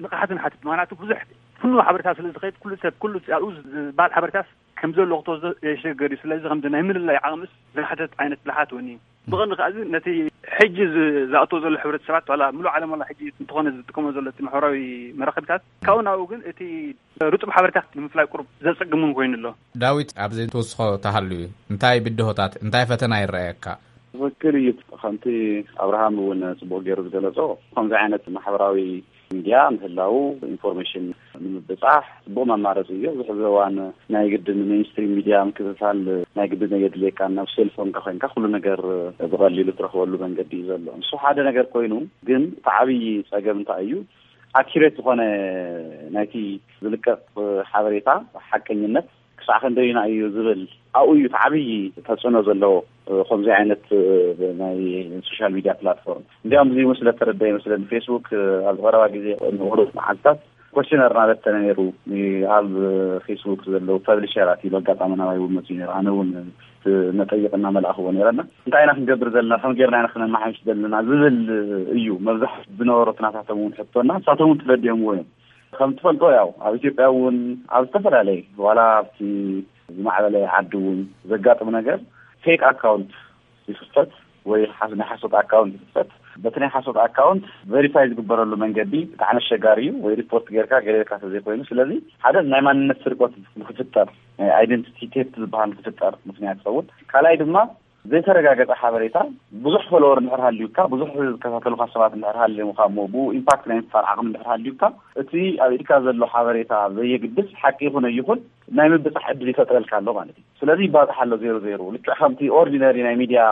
ንቕሓትን ሓትት። ምኽንያቱ ብዙሕ ፍኑው ሓበሬታ ስለ ዝኸይድ ኩሉ ሰብ ኩሉ ኣብኡ ዝበሃል ሓበሬታስ ከም ዘሎ ክትወስዶ የሸገር እዩ። ስለዚ ከምዚ ናይ ምልላይ ዓቕምስ ዝሓተት ዓይነት ብልሓት እውን እዩ። ብቐንዱ ከዓ እዚ ነቲ ሕጂ ዝ-፣ ዝኣትዎ ዘሎ ሕብረተሰባት ዋላ ምሉእ ዓለም ዋላ ሕጂ እንተኾነ ዝጥቀሞ ዘሎ እቲ ማሕበራዊ መራኸቢታት ካብኡ ናብኡ ግን እቲ ርጡብ ሓበሬታ ንምፍላይ ቁሩብ ዘጸግም እውን ኮይኑ ኣሎ። ዳዊት፣ ኣብዚ ትውስኾ ተሃልዩ እንታይ ብድሆታት እንታይ ፈተና ይረኣየካ? ትኽክል እዩ። ከምቲ ኣብርሃም እውን ጽቡቕ ገይሩ ዝገለጾ፣ ከምዚ ዓይነት ማሕበራዊ ሚድያ ምህላው ኢንፎርሜሽን ንምብጻሕ ጽቡቕ መማረፂ እዩ። ኣብዚ ሕዚ እዋን ናይ ግድን ሜይንስትሪም ሚድያ ምክትታል ናይ ግድን የድልየካ። ናብ ሴልፎንካ ኮይንካ ኩሉ ነገር ብቐሊሉ ትረኽበሉ መንገዲ እዩ ዘሎ። ንሱ ሓደ ነገር ኮይኑ፣ ግን እቲ ዓብዪ ጸገም እንታይ እዩ? ኣኪሬት ዝኾነ ናይቲ ዝልቀቕ ሓበሬታ ሓቀኝነት ክሳዕ ክንደይና እዩ ዝብል ኣብኡ እዩ እቲ ዓብዪ ተጽዕኖ ዘለዎ። ከምዚ ዓይነት ናይ ሶሻል ሚድያ ፕላትፎርም እንዲያውም እዚ መስለ ተረዳ ይመስለኒ። ፌስቡክ ኣብ ዝቐረባ ግዜ ንቑሩብ መዓልትታት ኮሽነር እናበተነ ነይሩ። ኣብ ፌስቡክ ዘለዉ ፐብሊሸራት ኢሉ ኣጋጣሚ ናባይ እውን መፅኡ ነይሩ። ኣነ እውን መጠይቕ እናመላእኽዎ ነይረና። እንታይ ኢና ክንገብር ዘለና፣ ከም ጌርና ኢና ክነመሓይሽ ዘለና ዝብል እዩ መብዛሕትኡ ዝነበሩ ናታቶም እውን ሕቶና፣ ንሳቶም እውን ተረዲኦምዎ እዮም። ከም ትፈልጦ ያው ኣብ ኢትዮጵያ እውን ኣብ ዝተፈላለየ ዋላ ኣብቲ ዝማዕበለ ዓዲ እውን ዘጋጥም ነገር ፌክ ኣካውንት ይኽፈት። ወይ ሓስ ናይ ሓሶት ኣካውንት ይኽፈት። በቲ ናይ ሓሶት ኣካውንት ቨሪፋይ ዝግበረሉ መንገዲ ብጣዕሚ ኣሸጋሪ እዩ። ወይ ሪፖርት ጌርካ ገሌርካ ተዘይኮይኑ፣ ስለዚ ሓደ ናይ ማንነት ስርቆት ንክፍጠር፣ ናይ ኣይደንቲቲ ቴፍት ዝበሃል ንክፍጠር ምክንያት ይኸውን። ካልኣይ ድማ ዘይተረጋገጸ ሓበሬታ፣ ብዙሕ ፎሎወር እንድሕር ሃልዩካ፣ ብዙሕ ዝከታተሉካ ሰባት እንድሕር ሃልዩካ፣ እሞ ብኡ ኢምፓክት ናይ ምፍጣር ዓቕሚ እንድሕር ሃልዩካ፣ እቲ ኣብ ኢድካ ዘሎ ሓበሬታ ዘየግድስ ሓቂ ይኹን ኣይኹን ናይ ምብጻሕ ዕድል ይፈጥረልካ ኣሎ ማለት እዩ። ስለዚ ይባጻሕ ኣሎ ዜሮ ዜሮ። ልክዕ ከምቲ ኦርዲነሪ ናይ ሚድያ፣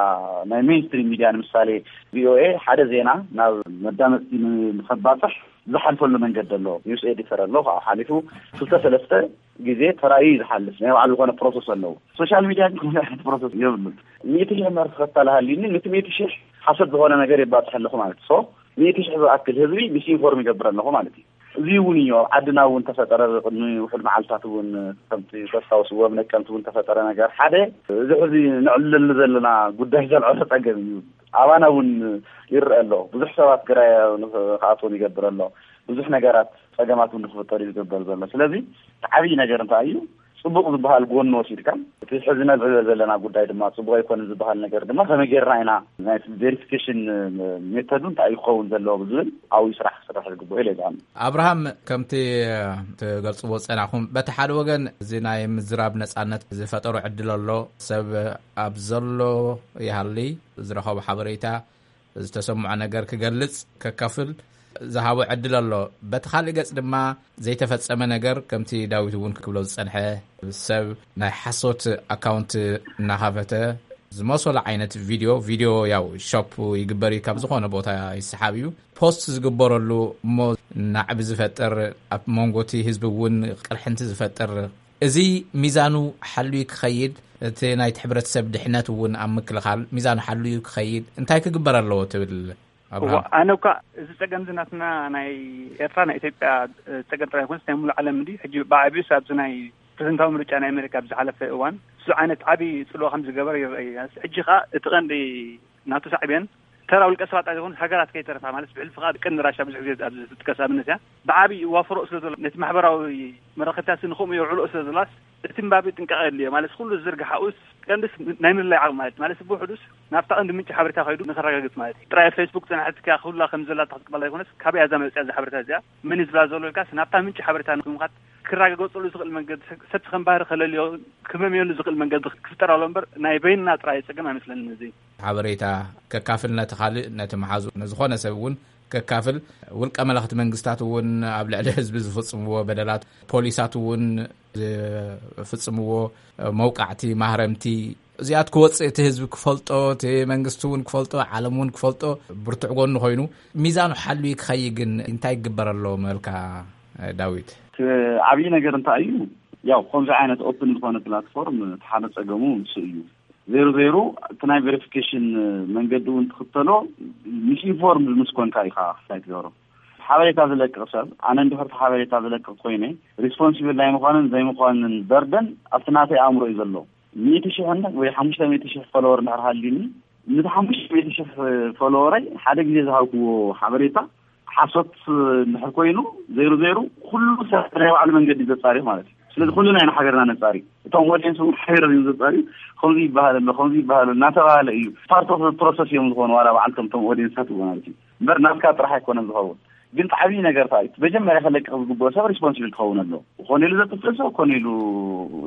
ናይ ሜንስትሪም ሚድያ፣ ንምሳሌ ቪኦኤ፣ ሓደ ዜና ናብ መዳመፅቲ ን-፣ ንኸባፅሕ ዝሓልፈሉ መንገዲ ኣሎ። ኒውስ ኤዲተር ኣሎ፣ ካብኡ ሓሊፉ ክልተ ሰለስተ ግዜ ተራእዩ እዩ ዝሓልፍ። ናይ ባዕሉ ዝኾነ ፕሮሰስ ኣለዎ። ሶሻል ሚድያ ግን ከምዚ ዓይነት ፕሮሰስ የብሉን። ሚእቲ ሺሕ እምበር ተኸታሊ ሃልዩኒ፣ ነቲ ሚእቲ ሺሕ ሓሶት ዝኾነ ነገር የባፅሕ ኣለኹ ማለት። ሶ ሚእቲ ሺሕ ዝኣክል ህዝቢ ሚስኢንፎርም ይገብር ኣለኹ ማለት እዩ። እዚ እውን እዩ ኣብ ዓድና እውን ተፈጠረ። ቅድሚ ውሑድ መዓልታት እውን ከምቲ ተስታውስዎ ኣብ ነቀምቲ እውን ተፈጠረ ነገር ሓደ፣ እዚ ሕዚ ንዕልለሉ ዘለና ጉዳይ ዘልዐሎ ጸገም እዩ። ኣባና እውን ይረአ ኣሎ። ብዙሕ ሰባት ግራ ንክኣትዎም ይገብር ኣሎ። ብዙሕ ነገራት፣ ጸገማት እውን ንክፍጠር እዩ ዝገብር ዘሎ። ስለዚ እቲ ዓብዪ ነገር እንታይ እዩ? ጽቡቕ ዝበሃል ጎኑ ወሲድካ፣ እቲ ሕዚ ነብዕሎ ዘለና ጉዳይ ድማ ጽቡቕ ኣይኮነን ዝበሃል ነገር ድማ ከመይ ጌርና ኢና፣ ናይ ቬሪፊኬሽን ሜተዱ እንታይ እዩ ክኸውን ዘለዎ ብዝብል ኣብኡ ስራሕ ክስራሕ ዝግብኦ ኢለ ዝኣምን። ኣብርሃም፣ ከምቲ ትገልጽዎ ጸናኹም፣ በቲ ሓደ ወገን እዚ ናይ ምዝራብ ነጻነት ዝፈጠሮ ዕድል ኣሎ። ሰብ ኣብ ዘሎ ይሃሊ ዝረኸቦ ሓበሬታ፣ ዝተሰምዖ ነገር ክገልጽ፣ ከካፍል ዝሃቦ ዕድል ኣሎ። በቲ ካልእ ገጽ ድማ ዘይተፈጸመ ነገር፣ ከምቲ ዳዊት እውን ክብሎ ዝጸንሐ፣ ሰብ ናይ ሓሶት ኣካውንት እናኸፈተ ዝመሰሎ ዓይነት ቪድዮ፣ ቪድዮ ያው ሾፕ ይግበር እዩ፣ ካብ ዝኾነ ቦታ ይሰሓብ እዩ፣ ፖስት ዝግበረሉ፣ እሞ ናዕቢ ዝፈጥር፣ ኣብ መንጎቲ ህዝቢ እውን ቅርሕንቲ ዝፈጥር፣ እዚ ሚዛኑ ሓልዩ ክኸይድ፣ እቲ ናይቲ ሕብረተሰብ ድሕነት እውን ኣብ ምክልኻል ሚዛኑ ሓልዩ ክኸይድ እንታይ ክግበር ኣለዎ ትብል ኣብርሃም? ኣነ እኳ እዚ ጸገም እዚ ናትና ናይ ኤርትራ፣ ናይ ኢትዮጵያ ጸገም ጥራይ ኣይኮነስ ናይ ሙሉእ ዓለም እንዲ። ሕጂ ብዓቢኡስ ኣብዚ ናይ ፕሬዝደንታዊ ምርጫ ናይ ኣሜሪካ ኣብ ዝሓለፈ እዋን እሱ ዓይነት ዓቢ ጽልዋ ከም ዝገበረ ይረአ እዩ። ሕጂ ከኣ እቲ ቀንዲ ናቱ ሳዕቤን ተራ ውልቀ ሰባት ኣይኮኑስ ሃገራት ከይተረፋ፣ ማለት ብሕልፊ ከኣ ቀንዲ ራሻ ብዙሕ ግዜ ኣብዚ ዝጥቀስ ኣብነት እያ። ብዓቢ ይዋፈሮ ስለ ዘሎ ነቲ ማሕበራዊ መራኸብታት ንኸምኡ የውዕሎ ስለ ዘላስ እቲ ምባቢ ጥንቃቐ የድልዮ። ማለት ኩሉ ዝዝርግሓኡስ ቀንድስ ናይ ምልላይ ዓቕሚ ማለት፣ ማለት ብውሕዱስ ናብታ ቀንዲ ምንጪ ሓበሬታ ከይዱ ንኸረጋግጽ ማለት እዩ። ጥራይ ኣብ ፌስቡክ ጽናሕትካ ኩላ ከም ዘላ ክትቅበል ኣይኮነስ ካበይ እያ እዛ መጽያ እዛ ሓበሬታ እዚኣ፣ መን እዩ ዝብላ ዘሎ ኢልካስ ናብታ ምንጪ ሓበሬታ ንኽምኻት ክረጋገጸሉ ዝኽእል መንገዲ ሰብ ከም ባህሪ ከለልዮ ክመምየሉ ዝኽእል መንገዲ ክፍጠር ኣሎ እምበር ናይ በይንና ጥራይ ጸገም ኣይመስለንን እዚ። ሓበሬታ ከካፍል ነቲ ካልእ፣ ነቲ መሓዙ፣ ንዝኾነ ሰብ እውን ከካፍል፣ ውልቀ መለኽቲ መንግስታት እውን ኣብ ልዕሊ ህዝቢ ዝፍጽምዎ በደላት፣ ፖሊሳት እውን ዝፍጽምዎ መውቃዕቲ፣ ማህረምቲ፣ እዚኣት ክወጽእ፣ እቲ ህዝቢ ክፈልጦ፣ እቲ መንግስቲ እውን ክፈልጦ፣ ዓለም እውን ክፈልጦ ብርቱዕ ጎኑ ኮይኑ፣ ሚዛኑ ሓልዩ ክኸይ ግን እንታይ ይግበር ኣሎ መልካ ዳዊት? እቲ ዓብዪ ነገር እንታይ እዩ? ያው ከምዚ ዓይነት ኦፕን ዝኾነ ፕላትፎርም እቲ ሓደ ጸገሙ ንሱ እዩ። ዜሮ ዜሮ፣ እቲ ናይ ቬሪፊኬሽን መንገዲ እውን ትኽተሎ፣ ሚስኢንፎርምድ ምስ ኮንካ ኢኻ ክሳይ ትገብሮ። ሓበሬታ ዝለቅቕ ሰብ፣ ኣነ እንድሕር እቲ ሓበሬታ ዝለቅቕ ኮይነ፣ ሪስፖንሲብል ናይ ምዃንን ዘይምዃንን በርደን ኣብቲ ናተይ ኣእምሮ እዩ ዘሎ። ሚእቲ ሽሕ እንደ-፣ ወይ ሓሙሽተ ሚእቲ ሽሕ ፎሎወር እንድሕር ሃልዩኒ፣ ነቲ ሓሙሽተ ሚእቲ ሽሕ ፎሎወረይ ሓደ ግዜ ዝሃብክዎ ሓበሬታ ሓሶት እንድሕር ኮይኑ፣ ዜሮ ዜሮ፣ ኩሉ ሰብ ናይ ባዕሉ መንገዲ ዘጻሪ ማለት እዩ። ስለዚ ኩሉ ናይ ሓገርና ነጻሪ፣ እቶም ኦዲየንስ እውን ሓገር እዮም ዘጻሪ። ከምዚ ይበሃል ኣሎ፣ ከምዚ ይበሃል ኣሎ እናተባሃለ እዩ። ፓርት ኦፍ ፕሮሰስ እዮም ዝኾኑ፣ ዋላ በዓልቶም እቶም ኦዲየንሳት እውን ማለት እዩ። እምበር ናትካ ጥራሕ ኣይኮነን ዝኸውን። ግን እቲ ዓብዪ ነገር እንታይ እዩ? መጀመርያ ከለቅቕ ዝግብኦ ሰብ ሪስፖንሲብል ክኸውን ኣለዎ። ኮነ ኢሉ ዘጥፍእ ሰብ ኮነ ኢሉ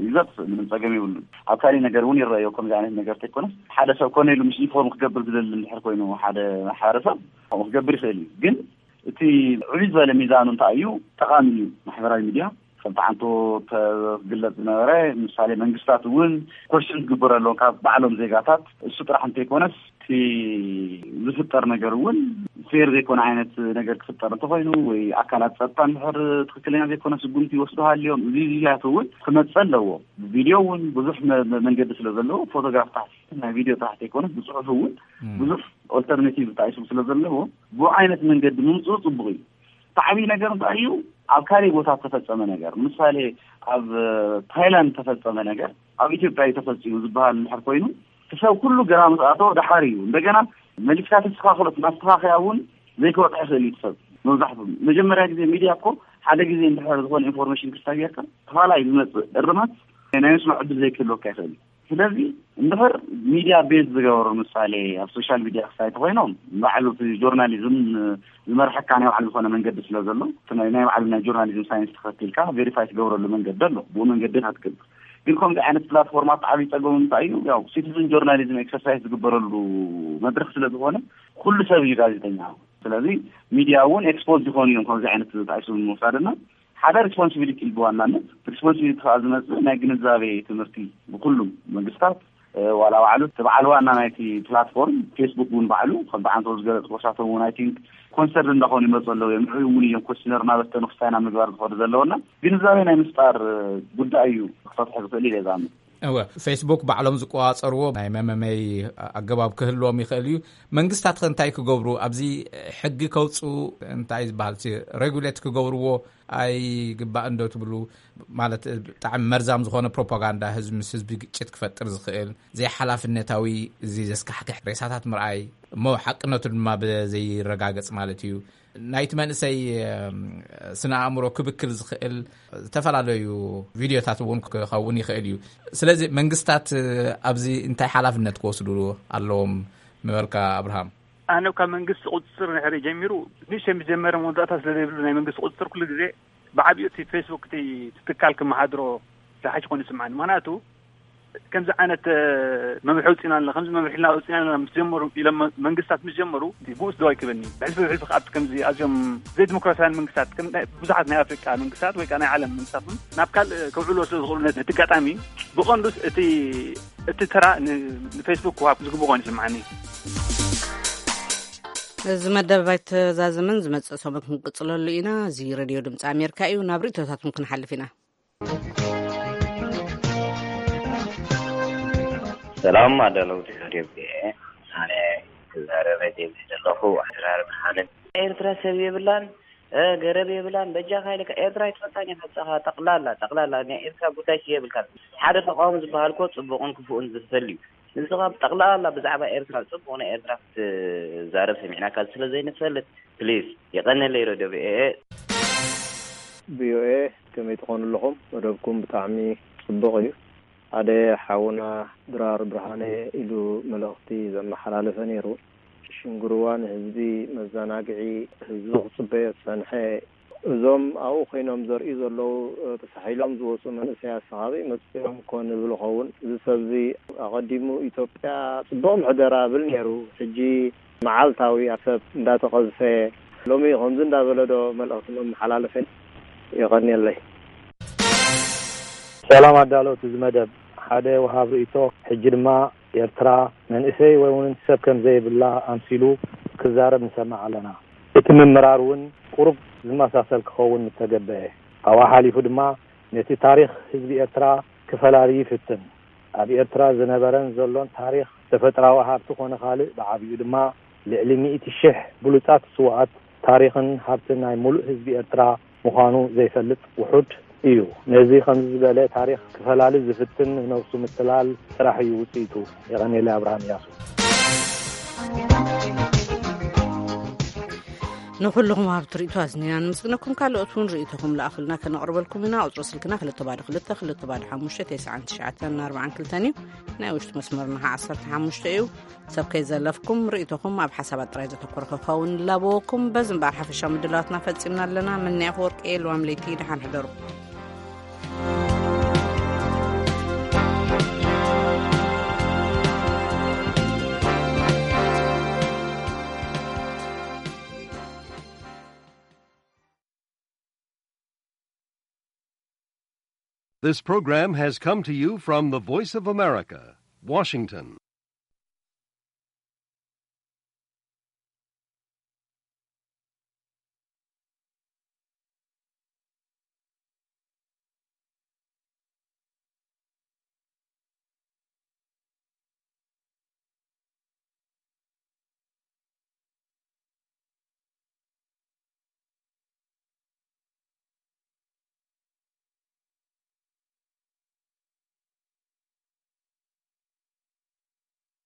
ይዘጥፍእ፣ ምንም ጸገም የብሉን። ኣብ ካሊእ ነገር እውን ይረኣዮ። ከምዚ ዓይነት ነገር ተይኮነስ ሓደ ሰብ ኮነ ኢሉ ምስ ኢንፎርም ክገብር ዝደሊ እንድሕር ኮይኑ ሓደ ማሕበረሰብ ከምኡ ክገብር ይኽእል እዩ። ግን እቲ ዕብይ ዝበለ ሚዛኑ እንታይ እዩ? ጠቓሚ እዩ። ማሕበራዊ ሚድያ ከም ተዓንቶ ተግለጽ ዝነበረ፣ ምሳሌ መንግስታት እውን ኮሽን ዝግበረሎም ካብ ባዕሎም ዜጋታት፣ እሱ ጥራሕ እንተይኮነስ እቲ ዝፍጠር ነገር እውን ፌር ዘይኮነ ዓይነት ነገር ክፍጠር እንተኾይኑ ወይ ኣካላት ጸጥታ እንድሕር ትኽክለኛ ዘይኮነ ስጉምቲ ይወስዱ ሃልዮም፣ እዚ እዚያት እውን ክመጽእ ኣለዎ። ቪድዮ እውን ብዙሕ መ-፣ መ-፣ መንገዲ ስለ ዘለዎ ፎቶግራፍ ጥራሕ፣ ናይ ቪድዮ ጥራሕ ዘይኮነስ ብጽሑፍ እውን ብዙሕ ኦልተርኔቲቭ ተኣይሱ ስለ ዘለዎ ብኡ ዓይነት መንገዲ ምምፅኡ ጽቡቕ እዩ። እቲ ዓብዪ ነገር እንታይ እዩ? ኣብ ካሊእ ቦታ ዝተፈጸመ ነገር፣ ምሳሌ ኣብ ታይላንድ ዝተፈጸመ ነገር ኣብ ኢትዮጵያ እዩ ተፈጺሙ ዝበሃል እንድሕር ኮይኑ፣ እቲ ሰብ ኩሉ ግራ ምስ ኣተወ ደሓር እዩ። እንደገና መሊስካ ተስተኻኽሎ፣ እቲ ማስተኻኸያ እውን ዘይክበጽሖ ይኽእል እዩ። እቲ ሰብ መብዛሕትኡ መጀመርያ ግዜ ሚድያ እኮ ሓደ ግዜ እንድሕር ዝኾነ ኢንፎርሜሽን ክስታይ ጌርካ፣ ተኻልኣይ ዝመጽእ እርማት ናይ ምስማዕ ዕድል ዘይክህልወካ ይኽእል እዩ። ስለዚ እንድሕር ሚድያ ቤዝ ዝገበሩ፣ ምሳሌ ኣብ ሶሻል ሚድያ ክሳይቲ ኮይኖም፣ ባዕሉ እቲ ጆርናሊዝም ዝመርሐካ ናይ ባዕሉ ዝኾነ መንገዲ ስለ ዘሎ፣ እቲ ናይ ናይ ባዕሉ ናይ ጆርናሊዝም ሳይንስ ተኸቲልካ ቬሪፋይ ትገብረሉ መንገዲ ኣሎ። ብኡ መንገዲ ኢኻ ትገብር። ግን ከምዚ ዓይነት ፕላትፎርም ኣብቲ ዓብዪ ጸገሙ እንታይ እዩ? ያው ሲቲዝን ጆርናሊዝም ኤክሰርሳይዝ ዝግበረሉ መድረኽ ስለ ዝኾነ፣ ኩሉ ሰብ እዩ ጋዜጠኛ። ስለዚ ሚድያ እውን ኤክስፖዝ ዝኾኑ እዮም ከምዚ ዓይነት ጣይሱ ንምውሳድና ሓደ ሪስፖንሲቢሊቲ እዩ ብዋናነት። ሪስፖንሲቢሊቲ ከዓ ዝመጽእ ናይ ግንዛቤ ትምህርቲ ብኩሉም መንግስታት፣ ዋላ ባዕሉ እቲ በዓል ዋና ናይቲ ፕላትፎርም ፌስቡክ እውን ባዕሉ ከም ብዓንተው ዝገለጽ ቦሳቶም እውን ኣይ ቲንክ ኮንሰርን እንዳኾኑ ይመፁ ኣለዉ እዮም። ንዕኡ እውን እዮም ኮስቲነር እናበተኑ ክስታይ ናብ ምግባር ዝኸዱ ዘለውና ግንዛቤ ናይ ምስጣር ጉዳይ እዩ ክፈትሐ ዝኽእል ኢለ ዝኣምን። እወ፣ ፌስቡክ ባዕሎም ዝቆጻጸርዎ ናይ መመመይ ኣገባብ ክህልዎም ይኽእል እዩ። መንግስታት ከ እንታይ ክገብሩ? ኣብዚ ሕጊ ከውፅኡ እንታይ ዝበሃል ሲ ሬጉሌት ክገብርዎ ኣይግባእ እንዶ ትብሉ? ማለት ብጣዕሚ መርዛም ዝኾነ ፕሮፓጋንዳ ህዝቢ ምስ ህዝቢ ግጭት ክፈጥር ዝኽእል ዘይሓላፍነታዊ፣ እዚ ዘስካሕክሕ ሬሳታት ምርኣይ እሞ ሓቅነቱ ድማ ብዘይረጋገጽ ማለት እዩ። ናይቲ መንእሰይ ስነ ኣእምሮ ክብክል ዝኽእል ዝተፈላለዩ ቪድዮታት እውን ክኸውን ይኽእል እዩ። ስለዚ መንግስታት ኣብዚ እንታይ ሓላፍነት ክወስዱ ኣለዎም ምበልካ ኣብርሃም? ኣነ ካብ መንግስቲ ቁፅፅር ንሕሪ ጀሚሩ ንእሽተይ ምስ ጀመረ መወዳእታ ስለ ዘይብሉ ናይ መንግስቲ ቁፅፅር ኩሉ ግዜ ብዓብዩ እቲ ፌስቡክ እቲ ትካል ክመሓድሮ ዝሓሽ ኮይኑ ይስምዓኒ። ምክንያቱ ከምዚ ዓይነት መምርሒ ውፅና ኣለና፣ ከምዚ መምርሒ ውፅና ኣለና ምስ ጀመሩ ኢሎም መንግስታት ምስ ጀመሩ ጉስ ዶ ኣይክበኒ ብሕልፊ ብሕልፊ ከኣ ከምዚ ኣዝዮም ዘይዲሞክራሲያን መንግስታት ብዙሓት ናይ ኣፍሪቃ መንግስታት ወይ ናይ ዓለም መንግስታት ናብ ካልእ ከውዕልዎ ስለ ዝኽእሉ ነቲ ኣጋጣሚ ብቐንዱስ እቲ እቲ ተራ ንፌስቡክ ክዋብ ዝግቡ ኮይኑ ይስምዓኒ። እዚ መደብ ኣይተዛዘመን፣ ዝመጽእ ሰሙን ክንቅጽለሉ ኢና። እዚ ሬድዮ ድምፂ ኣሜሪካ እዩ። ናብ ርእቶታትኩም ክንሓልፍ ኢና። ሰላም ኣዳለውቲ ሬድዮ ቪኦኤ። ኣነ ክዛረበ ደልየ ዘለኹ ኣድራር ብርሃነ። ኤርትራ ሰብ የብላን፣ ገረብ የብላን። በጃኻ ኢልካ ኤርትራ ኣይትፈልጣን ኢኻ። ንስኻ ጠቕላላ ጠቕላላ ናይ ኤርትራ ጉዳይ የብልካን። ሓደ ተቃዋሚ ዝበሃል እኮ ጽቡቕን ክፉእን ዝፈልዩ። ንስኻ ጠቕላላ ብዛዕባ ኤርትራ፣ ጽቡቕ ናይ ኤርትራ ክትዛረብ ሰሚዕናካ ስለ ዘይንፈልጥ ፕሊዝ። የቐንየለይ ሬድዮ ቪኦኤ። ቪኦኤ ከመይ ትኾኑ ኣለኹም? መደብኩም ብጣዕሚ ጽቡቕ እዩ። ሓደ ሓውና ድራር ብርሃነ ኢሉ መልእኽቲ ዘመሓላለፈ ነይሩ። ሽንግርዋ ንህዝቢ መዘናግዒ፣ ህዝቢ ክጽበዮ ዝጸንሐ፣ እዞም ኣብኡ ኮይኖም ዘርእዩ ዘለዉ ተሳሒሎም ዝወጹ መንእሰያት ሰኻቢ መጺኦም ኮን ይብል ኸውን። እዚ ሰብዚ ኣቐዲሙ ኢትዮጵያ ጽቡቕ ምሕደራ ብል ነይሩ። ሕጂ መዓልታዊ ኣብ ሰብ እንዳተቐዝፈ ሎሚ ከምዚ እንዳበለ ዶ መልእኽቲ መመሓላለፈ? የቐንየለይ። ሰላም ኣዳለውቲ እዚ መደብ፣ ሓደ ወሃብ ርእይቶ፣ ሕጂ ድማ ኤርትራ መንእሰይ ወይ እውን ሰብ ከም ዘይብላ ኣምሲሉ ክዛረብ ንሰምዕ ኣለና። እቲ ምምራር እውን ቁሩብ ዝመሳሰል ክኸውን ምተገበኤ። ካብኡ ሓሊፉ ድማ ነቲ ታሪኽ ህዝቢ ኤርትራ ክፈላሊ ይፍትን። ኣብ ኤርትራ ዝነበረን ዘሎን ታሪኽ ተፈጥራዊ ሃብቲ ኮነ ካልእ ብዓቢኡ ድማ ልዕሊ ሚእቲ ሽሕ ብሉጻት ስውኣት ታሪኽን ሃብትን ናይ ሙሉእ ህዝቢ ኤርትራ ምዃኑ ዘይፈልጥ ውሑድ እዩ። ነዚ ከምዚ ዝበለ ታሪኽ ክፈላሊ ዝፍትን ንነብሱ ምትላል ጥራሕ እዩ ውጽኢቱ። የቐንየለይ ኣብርሃም እያሱ። ንኹልኹም ኣብ ትርኢቱ ኣዝኒና ንምስግነኩም። ካልኦት እውን ርእይቶኹም ለኣኹልና ከነቕርበልኩም ኢና። ቁፅሪ ስልክና ክልተ ባዶ ክልተ ክልተ ባዶ ሓሙሽተ ተስዓን ትሽዓተን ኣርባዓን ክልተን እዩ። ናይ ውሽጢ መስመርና ከዓ ዓሰርተ ሓሙሽተ እዩ። ሰብ ከይዘለፍኩም ርእይቶኹም ኣብ ሓሳባት ጥራይ ዘተኮረ ክኸውን ንላበወኩም። በዚ እምበኣር ሓፈሻዊ ምድላዋትና ፈጺምና ኣለና። ምንያ ኣፈወርቂ እየ። ልዋም ለይቲ ደሓን ሕደሩ። This program has come to you from the Voice of America, Washington.